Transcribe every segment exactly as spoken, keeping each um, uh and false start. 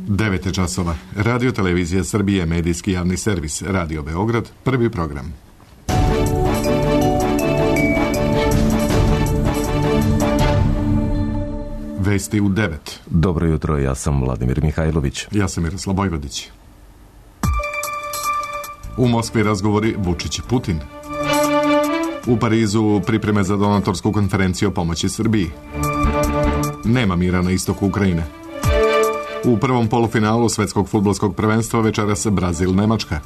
devet časova. Radio Televizija Srbije, medijski javni servis, Radio Beograd, prvi program. Vesti u devet. Dobro jutro, ja sam Vladimir Mihajlović. Ja sam Miroslav Bojvodić. U Moskvi razgovori Vučić i Putin. U Parizu pripreme za donatorsku konferenciju o pomoći Srbiji. Nema mira na istoku Ukrajine. U prvom polufinalu svetskog fudbalskog prvenstva večeras Brazil-Nemačka.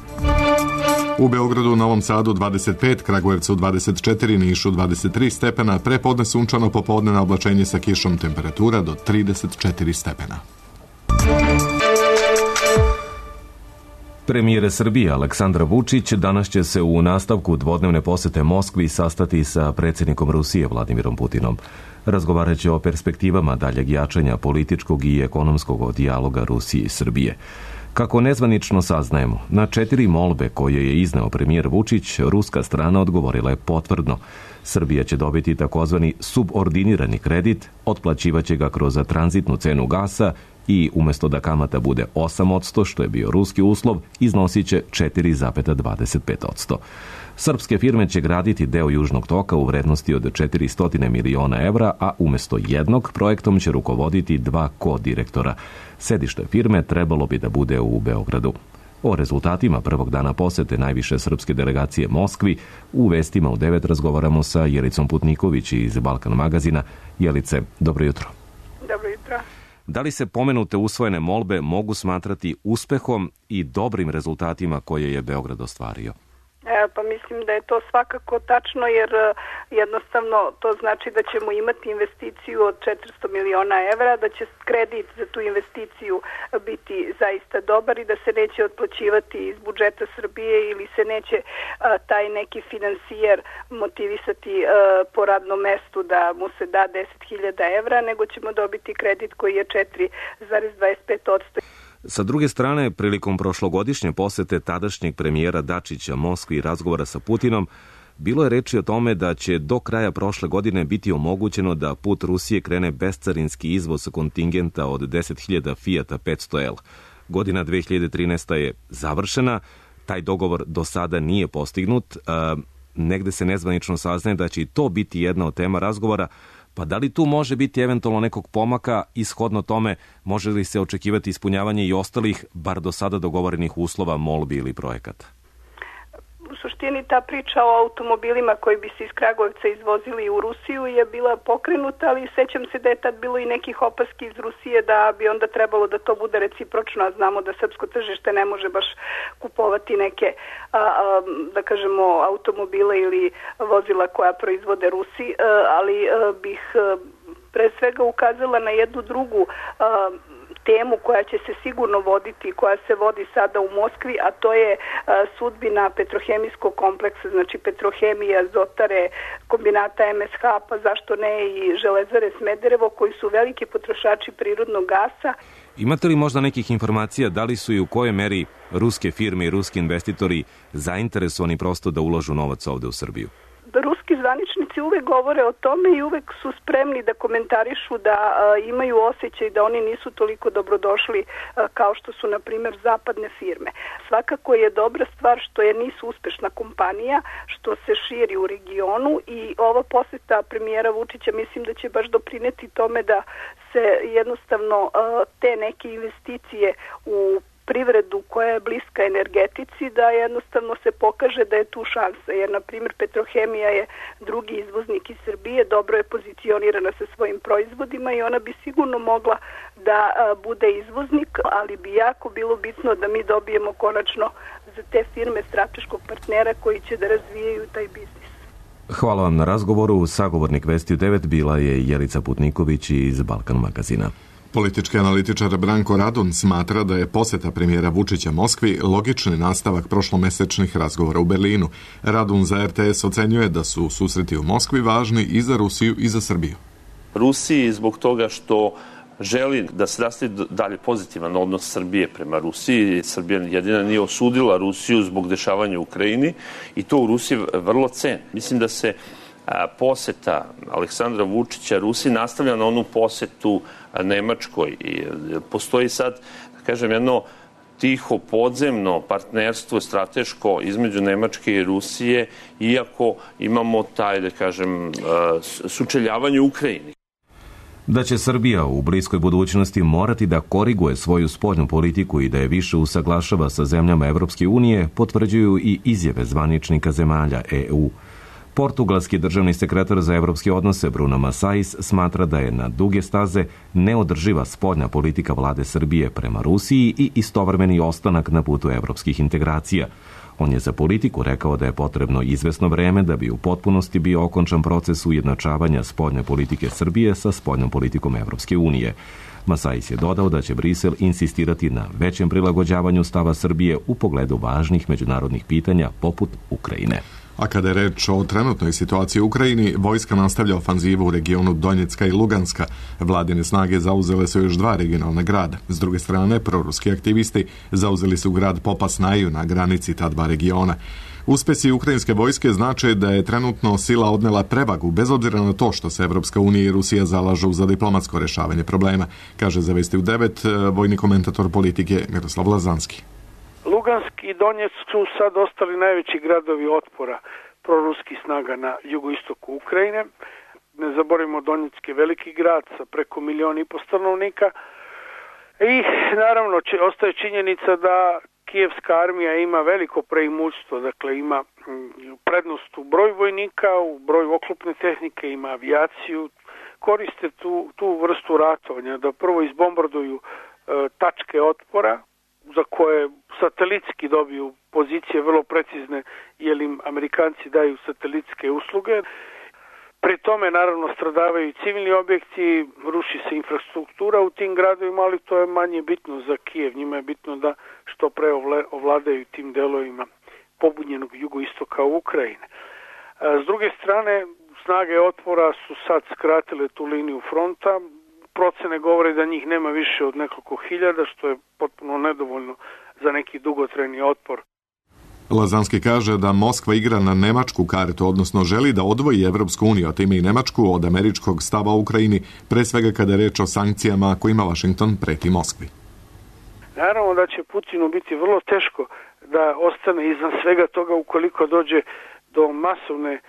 U Beogradu, Novom Sadu dvadeset pet, Kragujevcu dvadeset četiri, Nišu dvadeset tri stepena, prepodne sunčano, popodne na oblačenje sa kišom, temperatura do trideset četiri stepena. Premijer Srbije Aleksandar Vučić danas će se u nastavku dvodnevne posete Moskvi sastati sa predsjednikom Rusije Vladimirom Putinom. Razgovarat će o perspektivama daljeg jačanja političkog i ekonomskog dijaloga Rusije i Srbije. Kako nezvanično saznajemo, na četiri molbe koje je izneo premijer Vučić, ruska strana odgovorila je potvrdno. Srbija će dobiti takozvani subordinirani kredit, otplaćivaće ga kroz tranzitnu cenu gasa i umjesto da kamata bude osam posto, što je bio ruski uslov, iznosit će četiri zarez dvadeset pet posto. Srpske firme će graditi deo Južnog toka u vrednosti od četiristo miliona evra, a umjesto jednog projektom će rukovoditi dva ko-direktora. Sedište firme trebalo bi da bude u Beogradu. O rezultatima prvog dana posete najviše srpske delegacije Moskvi u vestima u devet razgovaramo sa Jelicom Putniković iz Balkan magazina. Jelice, dobro jutro. Dobro jutro. Da li se pomenute usvojene molbe mogu smatrati uspehom i dobrim rezultatima koje je Beograd ostvario? E, pa mislim da je to svakako tačno, jer jednostavno to znači da ćemo imati investiciju od četiristo miliona evra, da će kredit za tu investiciju biti zaista dobar i da se neće otplaćivati iz budžeta Srbije ili se neće a, taj neki finansijer motivisati a, po radnom mestu da mu se da deset hiljada evra, nego ćemo dobiti kredit koji je četiri zarez dvadeset pet posto. Sa druge strane, prilikom prošlogodišnje posete tadašnjeg premijera Dačića Moskvi i razgovora sa Putinom, bilo je reči o tome da će do kraja prošle godine biti omogućeno da put Rusije krene bescarinski izvoz kontingenta od deset hiljada Fiata petsto L. Godina dve hiljade trinaesta. je završena, taj dogovor do sada nije postignut, a negde se nezvanično saznaje da će i to biti jedna od tema razgovora. Pa da li tu može biti eventualno nekog pomaka, ishodno tome može li se očekivati ispunjavanje i ostalih, bar do sada dogovorenih uslova, molbi ili projekata? U suštini ta priča o automobilima koji bi se iz Kragujevca izvozili u Rusiju je bila pokrenuta, ali sećam se da je tad bilo i nekih opaski iz Rusije da bi onda trebalo da to bude recipročno, a znamo da srpsko tržište ne može baš kupovati neke, a, a, da kažemo, automobile ili vozila koja proizvode Rusi, a, ali a, bih a, pre svega ukazala na jednu drugu a, temu koja će se sigurno voditi, koja se vodi sada u Moskvi, a to je a, sudbina petrohemijskog kompleksa, znači Petrohemija, Azotare, kombinata M S H, pa zašto ne i Železare Smederevo, koji su veliki potrošači prirodnog gasa. Imate li možda nekih informacija da li su i u kojoj meri ruske firme i ruski investitori zainteresovani prosto da ulažu novac ovde u Srbiju? Ruski zvaničnici uvek govore o tome i uvek su spremni da komentarišu da a, imaju osjećaj da oni nisu toliko dobrodošli a, kao što su, na primjer, zapadne firme. Svakako je dobra stvar što je NIS uspešna kompanija, što se širi u regionu i ova poseta premijera Vučića mislim da će baš doprineti tome da se jednostavno a, te neke investicije u privredu koja je bliska energetici, da jednostavno se pokaže da je tu šansa, jer na primjer Petrohemija je drugi izvoznik iz Srbije, dobro je pozicionirana sa svojim proizvodima i ona bi sigurno mogla da a, bude izvoznik, ali bi jako bilo bitno da mi dobijemo konačno za te firme strateškog partnera koji će da razvijaju taj biznis. Hvala vam na razgovoru. Sagovornik Vesti u devet bila je Jelica Putniković iz Balkan magazina. Politički analitičar Branko Radun smatra da je poseta premijera Vučića Moskvi logični nastavak prošlomesečnih razgovora u Berlinu. Radun za R T S ocenjuje da su susreti u Moskvi važni i za Rusiju i za Srbiju. Rusiji zbog toga što želi da se nastavi dalje pozitivan odnos Srbije prema Rusiji. Srbija jedina nije osudila Rusiju zbog dešavanja u Ukrajini i to u Rusiji vrlo ceni. Mislim da se poseta Aleksandra Vučića Rusiji nastavlja na onu posetu Nemačkoj. I postoji sad, da kažem, jedno tiho podzemno partnerstvo strateško između Nemačke i Rusije, iako imamo taj, da kažem, sučeljavanje u Ukrajini. Da će Srbija u bliskoj budućnosti morati da koriguje svoju spoljnu politiku i da je više usaglašava sa zemljama Evropske unije, potvrđuju i izjave zvaničnika zemalja E U. Portugalski državni sekretar za evropske odnose Bruno Massais smatra da je na duge staze neodrživa spoljna politika vlade Srbije prema Rusiji i istovremeni ostanak na putu evropskih integracija. On je za politiku rekao da je potrebno izvesno vreme da bi u potpunosti bio okončan proces ujednačavanja spoljne politike Srbije sa spoljnom politikom Evropske unije. Massais je dodao da će Brisel insistirati na većem prilagođavanju stava Srbije u pogledu važnih međunarodnih pitanja poput Ukrajine. A kada je reč o trenutnoj situaciji u Ukrajini, vojska nastavlja ofanzivu u regionu Donjecka i Luganska. Vladine snage zauzele su još dva regionalna grada. S druge strane, proruski aktivisti zauzeli su grad Popasnaju na granici ta dva regiona. Uspesi ukrajinske vojske znače da je trenutno sila odnela prevagu, bez obzira na to što se Evropska unija i Rusija zalažu za diplomatsko rešavanje problema, kaže za Vesti u devet vojni komentator politike Miroslav Lazanski. Lugansk i Donjeck su sad ostali najveći gradovi otpora proruskih snaga na jugoistoku Ukrajine. Ne zaboravimo, Donjeck je veliki grad sa preko milion i po stanovnika. I naravno će, ostaje činjenica da kijevska armija ima veliko preimućstvo, dakle ima prednost u broju vojnika, u broju oklopne tehnike, ima avijaciju, koriste tu, tu vrstu ratovanja, da prvo izbombarduju e, tačke otpora, za koje satelitski dobiju pozicije vrlo precizne, jer im Amerikanci daju satelitske usluge. Pri tome, naravno, stradavaju i civilni objekti, ruši se infrastruktura u tim gradovima, ali to je manje bitno za Kijev. Njima je bitno da što pre ovladaju tim delovima pobunjenog jugoistoka Ukrajine. S druge strane, snage otpora su sad skratile tu liniju fronta. Procene govore da njih nema više od nekoliko hiljada, što je potpuno nedovoljno za neki dugotrajni otpor. Lazanski kaže da Moskva igra na nemačku kartu, odnosno želi da odvoji Evropsku uniju, a time i Nemačku, od američkog stava u Ukrajini, pre svega kada je reč o sankcijama kojima Washington preti Moskvi. Naravno da će Putinu biti vrlo teško da ostane izvan svega toga ukoliko dođe do masovne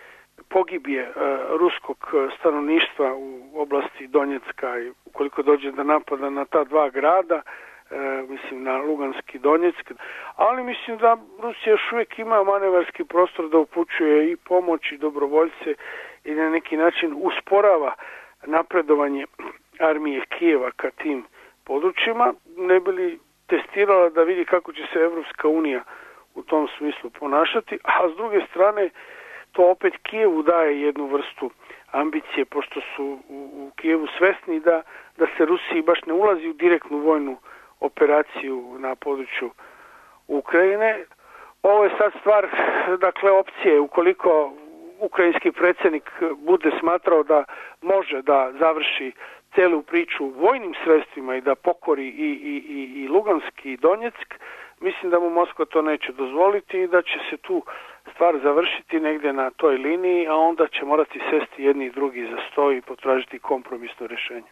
pogibije uh, ruskog stanovništva u oblasti Donjecka i ukoliko dođe do napada na ta dva grada, uh, mislim na Luganski i Donjeck, ali mislim da Rusija još uvijek ima manevarski prostor da upućuje i pomoć i dobrovoljce i na neki način usporava napredovanje armije Kijeva ka tim područjima, ne bi li testirala da vidi kako će se Evropska unija u tom smislu ponašati, a s druge strane to opet Kijevu daje jednu vrstu ambicije, pošto su u, u Kijevu svesni da, da se Rusiji baš ne ulazi u direktnu vojnu operaciju na području Ukrajine. Ovo je sad stvar, dakle, opcije. Ukoliko ukrajinski predsjednik bude smatrao da može da završi celu priču vojnim sredstvima i da pokori i, i, i, i Luganski i Donjeck, mislim da mu Moskva to neće dozvoliti i da će se tu stvar završiti negdje na toj liniji, a onda će morati sesti jedni i drugi za sto i potražiti kompromisno rješenje.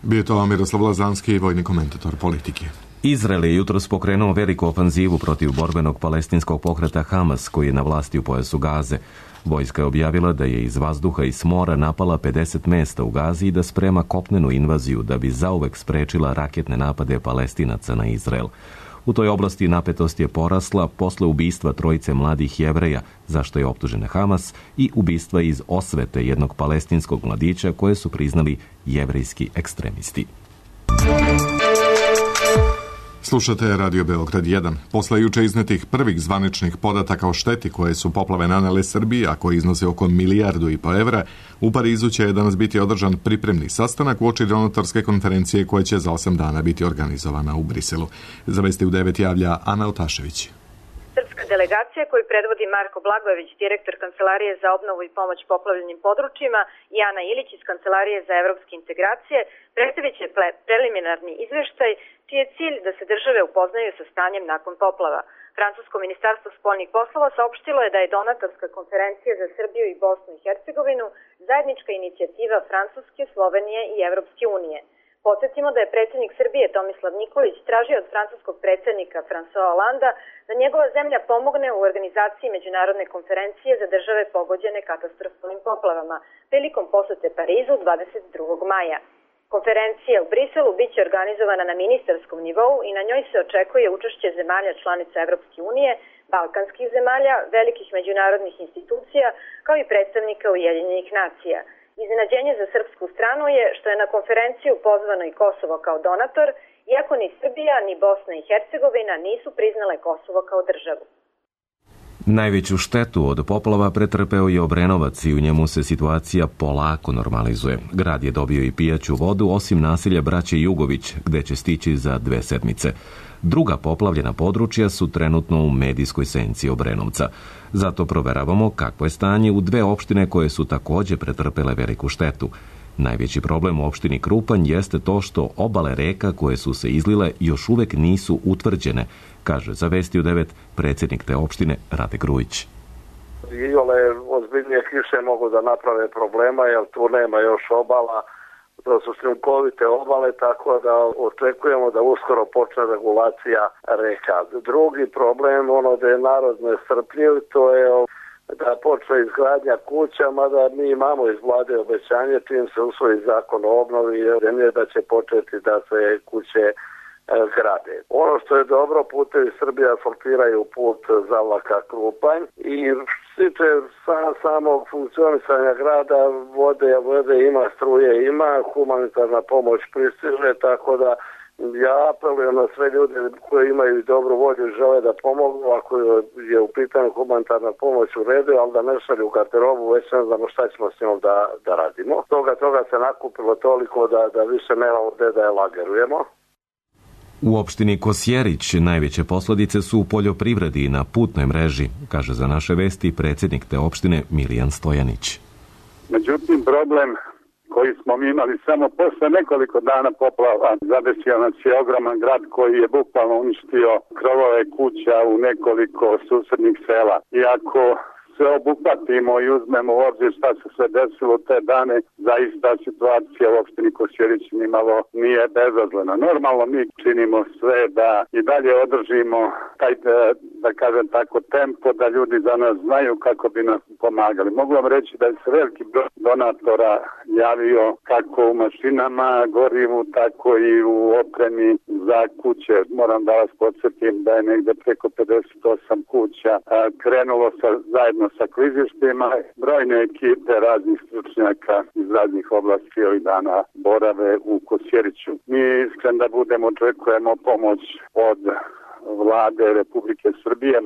Bio to Miroslav Lazanski, vojni komentator politike. Izrael je jutros pokrenuo veliku ofanzivu protiv borbenog palestinskog pokreta Hamas, koji je na vlasti u pojasu Gaze. Vojska je objavila da je iz vazduha i s mora napala pedeset mesta u Gazi i da sprema kopnenu invaziju da bi zauvek sprečila raketne napade Palestinaca na Izrael. U toj oblasti napetost je porasla posle ubistva trojice mladih Jevreja, za što je optužena Hamas, i ubistva iz osvete jednog palestinskog mladića koje su priznali jevrejski ekstremisti. Slušate Radio Beograd jedan. Posle juče iznetih prvih zvaničnih podataka o šteti koje su poplave nanele Srbiji, a koji iznose oko milijardu i po evra, u Parizu će danas biti održan pripremni sastanak uoči donatorske konferencije koja će za osam dana biti organizovana u Briselu. Za Vesti u devet javlja Ana Otašević. Srpska delegacija koju predvodi Marko Blagojević, direktor Kancelarije za obnovu i pomoć poplavljenim područjima, i Ana Ilić iz Kancelarije za evropske integracije, predstavit će preliminarni izveštaj čiji je cilj da se države upoznaju sa stanjem nakon poplava. Francusko ministarstvo spoljnih poslova saopštilo je da je donatorska konferencija za Srbiju i Bosnu i Hercegovinu zajednička inicijativa Francuske, Slovenije i Evropske unije. Podsjetimo da je predsjednik Srbije Tomislav Nikolić tražio od francuskog predsjednika François Hollanda da njegova zemlja pomogne u organizaciji međunarodne konferencije za države pogođene katastrofalnim poplavama prilikom posete Parizu dvadeset drugog maja. Konferencija u Briselu biće organizovana na ministarskom nivou i na njoj se očekuje učešće zemalja članica Evropske unije, balkanskih zemalja, velikih međunarodnih institucija, kao i predstavnika Ujedinjenih nacija. Iznenađenje za srpsku stranu je što je na konferenciju pozvano i Kosovo kao donator, iako ni Srbija ni Bosna i Hercegovina nisu priznale Kosovo kao državu. Najveću štetu od poplava pretrpeo je Obrenovac i u njemu se situacija polako normalizuje. Grad je dobio i pijaću vodu, osim naselja braće Jugović, gde će stići za dve sedmice. Druga poplavljena područja su trenutno u medijskoj senci Obrenovca. Zato proveravamo kakvo je stanje u dve opštine koje su također pretrpele veliku štetu. Najveći problem u opštini Krupanj jeste to što obale reka koje su se izlile još uvek nisu utvrđene, kaže za Vesti u devet predsjednik te opštine Rade Grujić. Iole ozbiljnije kiše mogu da naprave problema, jer tu nema još obala. To su šljunkovite obale, tako da očekujemo da uskoro počne regulacija reka. Drugi problem, ono da je narod nestrpljiv, to je da počne izgradnja kuća, mada mi imamo iz vlade obećanje, čim se usvoji zakon o obnovi, zemlje da će početi da se kuće grade. Ono što je dobro, putevi Srbije asfaltiraju put Zavlaka Krupanj i stiče sam, samog funkcionisanja grada, vode, vode ima, struje ima, humanitarna pomoć pristiže, tako da ja apelujem na sve ljude koji imaju dobru volju i žele da pomogu, ako je u pitanju humanitarna pomoć u redu, ali da ne šalju garderobu, već ne znamo šta ćemo s njom da, da radimo. Toga, toga se nakupilo toliko da, da više nemamo gde da je lagerujemo. U opštini Kosjerić najveće posledice su u poljoprivredi i na putnoj mreži, kaže za naše vesti predsjednik te opštine Milijan Stojanić. Međutim, problem koji smo mi imali samo posle nekoliko dana poplava, zadesio nas je ogroman grad koji je bukvalno uništio krovove kuća u nekoliko susednih sela. Iako se obuhvatimo i uzmemo u obzir šta se sve desilo te dane, zaista situacija u opštini Kosjerić nimalo nije bezazlena. Normalno mi činimo sve da i dalje održimo taj, da kažem tako, tempo, da ljudi za nas znaju kako bi nas pomagali. Mogu vam reći da je se veliki broj donatora javio kako u mašinama, gorivu, tako i u opremi za kuće. Moram da vas podsjetim da je negde preko pedeset osam kuća krenulo sa, zajedno sa klizištima. Brojne ekipe raznih stručnjaka iz raznih oblasti ovih dana borave u Kosjeriću. Mi iskren da budemo očekujemo pomoć od vlade Republike Srbije.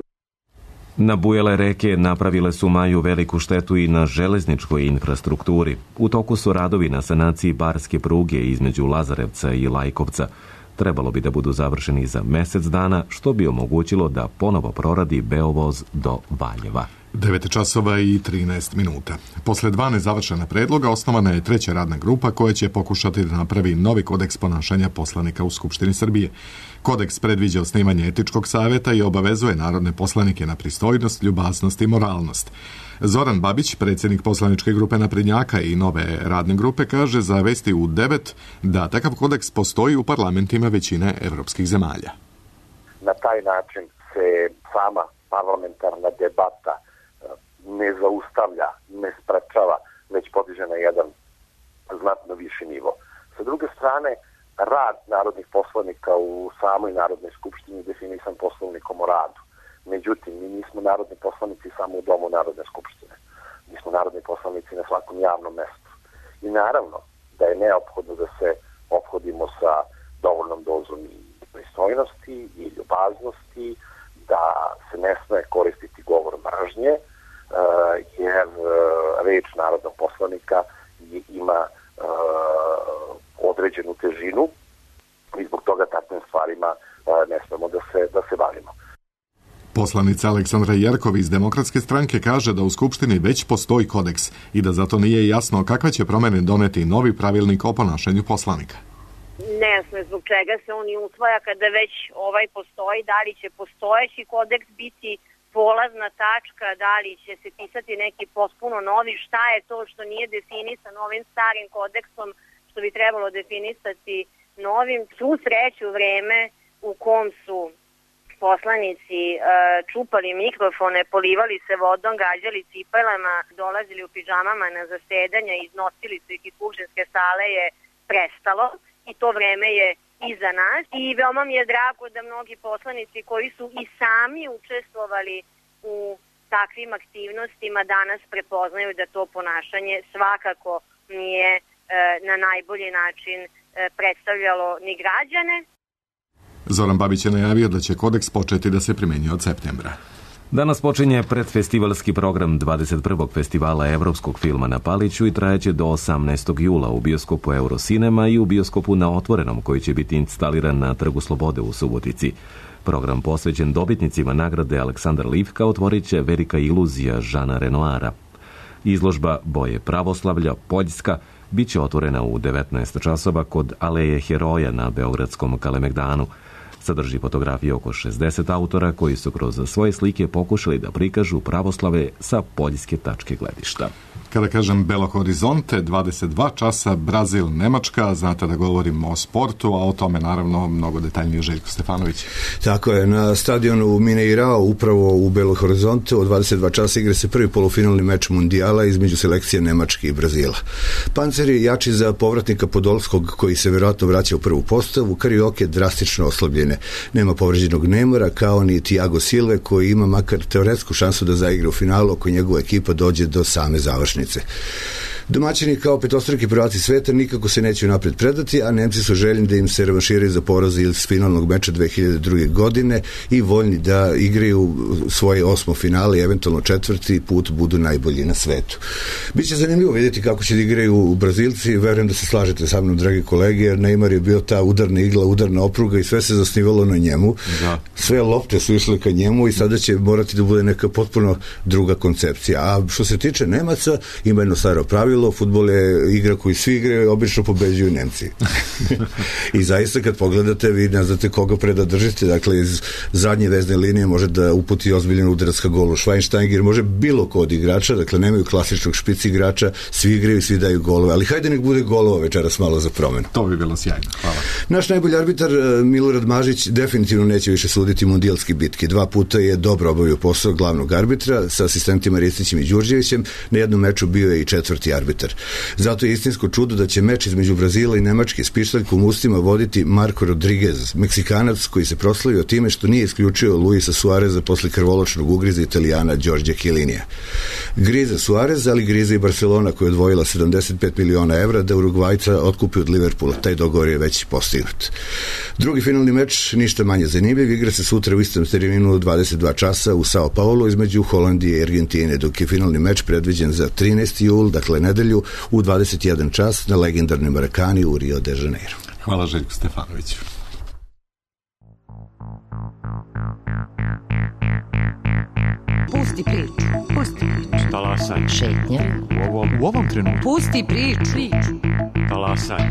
Nabujele reke napravile su maju veliku štetu i na železničkoj infrastrukturi. U toku su radovi na sanaciji barske pruge između Lazarevca i Lajkovca. Trebalo bi da budu završeni za mjesec dana, što bi omogućilo da ponovo proradi Beovoz do Valjeva. devet časova i trinaest minuta. Posle dva nezavršena predloga osnovana je treća radna grupa koja će pokušati da napravi novi kodeks ponašanja poslanika u Skupštini Srbije. Kodeks predviđa osnivanje etičkog savjeta i obavezuje narodne poslanike na pristojnost, ljubaznost i moralnost. Zoran Babić, predsjednik poslaničke grupe Naprednjaka i nove radne grupe, kaže za Vesti u devet da takav kodeks postoji u parlamentima većine evropskih zemalja. Na taj način se sama parlamentarna debata ne zaustavlja, ne sprečava, već podiže na jedan znatno viši nivo. Sa druge strane, rad narodnih poslanika u samoj Narodnoj skupštini je definisan Poslovnikom o radu. Međutim, mi nismo narodni poslanici samo u domu Narodne skupštine. Mi smo narodni poslanici na svakom javnom mestu. I naravno da je neophodno da se ophodimo sa dovoljnom dozom i pristojnosti i ljubaznosti, da se ne sme koristiti govor mržnje, jer reč narodnog poslanika ima određenu težinu i zbog toga takvim stvarima ne smemo da se, da se bavimo. Poslanica Aleksandra Jerkov iz Demokratske stranke kaže da u Skupštini već postoji kodeks i da zato nije jasno kakve će promjene doneti novi pravilnik o ponašanju poslanika. nejasno je zbog čega se on i usvaja kada već ovaj postoji, da li će postojeći kodeks biti polazna tačka, da li će se pisati neki potpuno novi, šta je to što nije definisano ovim starim kodeksom, što bi trebalo definisati novim. Svu sreću vreme u kom su poslanici e, čupali mikrofone, polivali se vodom, gađali cipelama, dolazili u pižamama na zasedanja, iznosili su ih iz skupštinske sale je prestalo i to vreme je iza nas. I veoma mi je drago da mnogi poslanici koji su i sami učestvovali u takvim aktivnostima danas prepoznaju da to ponašanje svakako nije e, na najbolji način e, predstavljalo ni građane. Zoran Babić je najavio da će kodeks početi da se primenjuje od septembra. Danas počinje predfestivalski program dvadeset prvog festivala evropskog filma na Paliću i trajeće do osamnaestog jula u bioskopu Eurocinema i u bioskopu na Otvorenom koji će biti instaliran na Trgu Slobode u Subotici. Program posvećen dobitnicima nagrade Aleksandar Livka otvorit će Velika iluzija Žana Renoara. Izložba Boje pravoslavlja Poljska bit će otvorena u devetnaest časova kod Aleje heroja na Beogradskom Kalemegdanu. Sadrži fotografije oko šezdeset autora koji su kroz svoje slike pokušali da prikažu pravoslave sa poljske tačke gledišta. Kada kažem Belo Horizonte, dvadeset dva časa, Brazil, Nemačka, znate da govorimo o sportu, a o tome naravno mnogo detaljnije Željko Stefanović. Tako je, na stadionu Mineirao, upravo u Belo Horizonte, u dvadeset dva časa igra se prvi polufinalni meč mundijala između selekcije Nemačke i Brazila. Panceri jači za povratnika Podolskog, koji se vjerojatno vraća u prvu postavu, Karioke drastično oslabljene. Nema povređenog Neymara, kao ni Thiago Silve, koji ima makar teoretsku šansu da zaigra u finalu ako njegova ekipa dođe do same završnice. Domaćini kao petostruki prvaci sveta nikako se neće napred predati, a Nemci su željni da im se revanširaju za poraz iz finalnog meča dve hiljade druge. godine i voljni da igraju svoje osmo finale i eventualno četvrti put budu najbolji na svetu. Biće zanimljivo vidjeti kako će da igraju u Brazilci, verujem da se slažete sa mnom, dragi kolege, jer Neymar je bio ta udarna igla, udarna opruga i sve se zasnivalo na njemu. Da. Sve lopte su išle ka njemu i sada će morati da bude neka potpuno druga koncepcija. A što se tiče Nemaca, ima jedno staro pravilo, fudbal je igra koju svi igraju, obično pobeđuju Nemci. I zaista kad pogledate, vi ne znate koga pre da držite, dakle iz zadnje vezne linije može da uputi ozbiljan udarac ka golu Schweinsteiger, može bilo ko od igrača, dakle nemaju klasičnog špic igrača, svi igraju, svi daju golove, ali hajde nek bude golova večeras malo za promenu. To bi bilo sjajno, hvala. Naš najbolji arbitar Milorad Mažić definitivno neće više suditi mundijalske bitke. Dva puta je dobro obavio posao glavnog arbitra sa asistentima Ristićem i Đurđevićem, na jednom meču bio je i četvrti arbitar. Zato je istinsko čudo da će meč između Brazila i Nemačke s pištaljkom u ustima voditi Marko Rodriguez, Meksikanac koji se proslavio time što nije isključio Luisa Suareza posle krvoločnog ugriza Italijana Đorđe Chiellinija. Griza Suarez, ali griza i Barcelona koja je odvojila sedamdeset pet miliona evra da Urugvajca otkupi od Liverpoola. Taj dogovor je već postignut. Drugi finalni meč, ništa manje zanimljiv, igra se sutra u istom terminu u dvadeset dva časa u Sao Paulo između Holandije i Argentine, dok je finalni meč predviđen za trinaesti jul, dakle nedelju, u dvadeset jedan čas na legendarnoj Marakani u Rio de Janeiro. Hvala Željku Stefanoviću. Pusti priču, pusti priču. Talasaj. Šetnja. U ovom, u ovom trenutku. Pusti priču. Talasaj.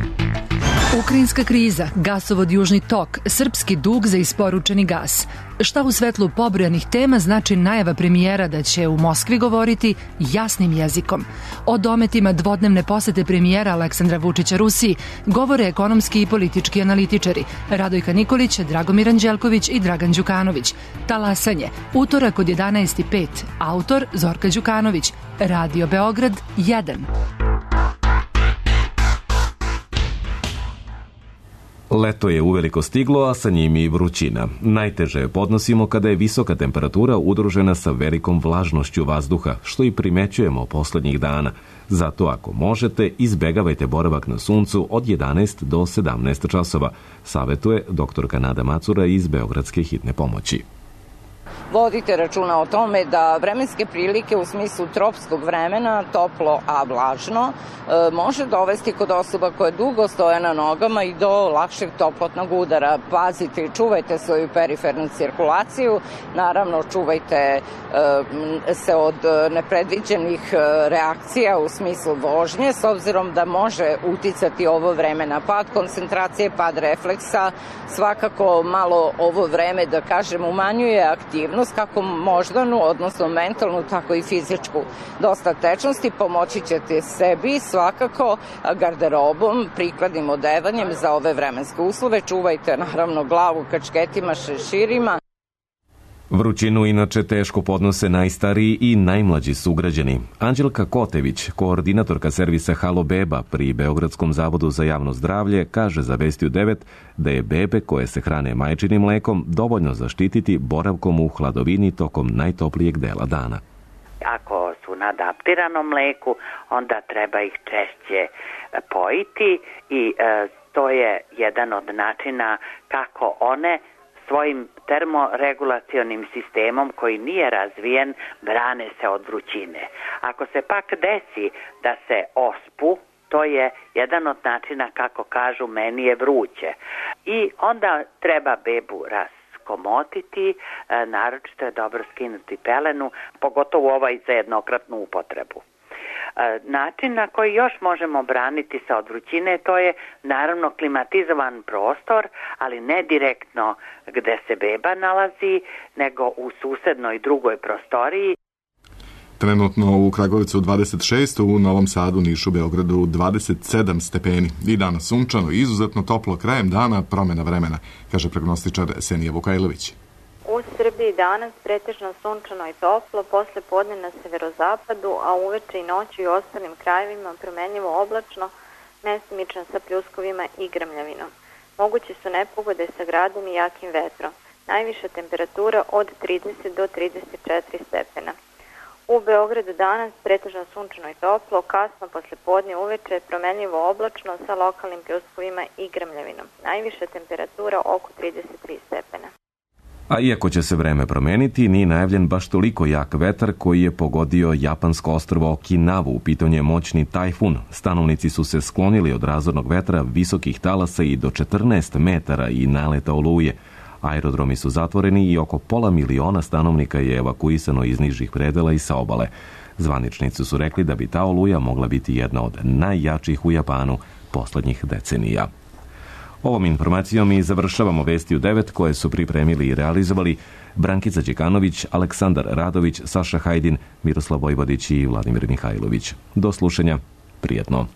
Ukrajinska kriza, gasovod Južni tok, srpski dug za isporučeni gas. Šta u svetlu pobrojanih tema znači najava premijera da će u Moskvi govoriti jasnim jezikom? O dometima dvodnevne posete premijera Aleksandra Vučića Rusiji govore ekonomski i politički analitičari Radojka Nikolić, Dragomir Anđelković i Dragan Đukanović. Talasanje, utorak od jedanaest i pet, autor Zorka Đukanović, Radio Beograd jedan. Leto je uveliko stiglo, a sa njim i vrućina. Najteže podnosimo kada je visoka temperatura udružena sa velikom vlažnošću vazduha, što i primećujemo poslednjih dana. Zato ako možete, izbegavajte boravak na suncu od jedanaest do sedamnaest časova, savetuje doktorka Nada Macura iz Beogradske hitne pomoći. vodite računa o tome da vremenske prilike u smislu tropskog vremena, toplo a vlažno, može dovesti kod osoba koje dugo stoje na nogama i do lakšeg toplotnog udara. Pazite i čuvajte svoju perifernu cirkulaciju, naravno čuvajte se od nepredviđenih reakcija u smislu vožnje, s obzirom da može uticati ovo vreme na pad koncentracije, pad refleksa. Svakako malo ovo vreme, da kažem, umanjuje aktivnost, kako moždanu, odnosno mentalnu, tako i fizičku. Dosta tečnosti, pomoći ćete sebi svakako garderobom, prikladnim odevanjem za ove vremenske uslove. Čuvajte naravno glavu kačketima, šeširima. Vrućinu inače teško podnose najstariji i najmlađi sugrađani. Anđelka Kotević, koordinatorka servisa Halo Beba pri Beogradskom zavodu za javno zdravlje, kaže za Vesti u devet da je bebe koje se hrane majčinim mlekom dovoljno zaštititi boravkom u hladovini tokom najtoplijeg dela dana. Ako su na adaptiranom mleku, onda treba ih češće pojiti i e, to je jedan od načina kako one svojim termoregulacionim sistemom koji nije razvijen brane se od vrućine. Ako se pak desi da se ospu, to je jedan od načina kako kažu meni je vruće. I onda treba bebu raskomotiti, naročito je dobro skinuti pelenu, pogotovo ovaj za jednokratnu upotrebu. Način na koji još možemo braniti se od vrućine, to je naravno klimatizovan prostor, ali ne direktno gde se beba nalazi, nego u susednoj drugoj prostoriji. Trenutno u Kragujevcu dvadeset šest, u Novom Sadu, Nišu, Beogradu dvadeset sedam stepeni. I danas sunčano, izuzetno toplo, krajem dana promjena vremena, kaže prognostičar Senija Vukajlović. U Srbiji danas pretežno sunčano i toplo, posle podne na severozapadu, a uveče i noću i ostalim krajevima promenljivo oblačno, mestimično sa pljuskovima i grmljavinom. Moguće su nepogode sa gradom i jakim vetrom. Najviša temperatura od trideset do trideset četiri stepena. U Beogradu danas pretežno sunčano i toplo, kasno posle podne uveče promenljivo oblačno sa lokalnim pljuskovima i grmljavinom. Najviša temperatura oko trideset tri stepena. A iako će se vreme promeniti, nije najavljen baš toliko jak vetar koji je pogodio japansko ostrvo Okinavu. U pitanju je moćni tajfun. Stanovnici su se sklonili od razornog vetra, visokih talasa i do četrnaest metara i naleta oluje. Aerodromi su zatvoreni i oko pola miliona stanovnika je evakuisano iz nižih predela i sa obale. Zvaničnici su rekli da bi ta oluja mogla biti jedna od najjačih u Japanu poslednjih decenija. Ovom informacijom i završavamo Vesti u devet koje su pripremili i realizovali Brankica Đekanović, Aleksandar Radović, Saša Hajdin, Miroslav Vojvodić i Vladimir Mihajlović. Do slušanja, prijetno.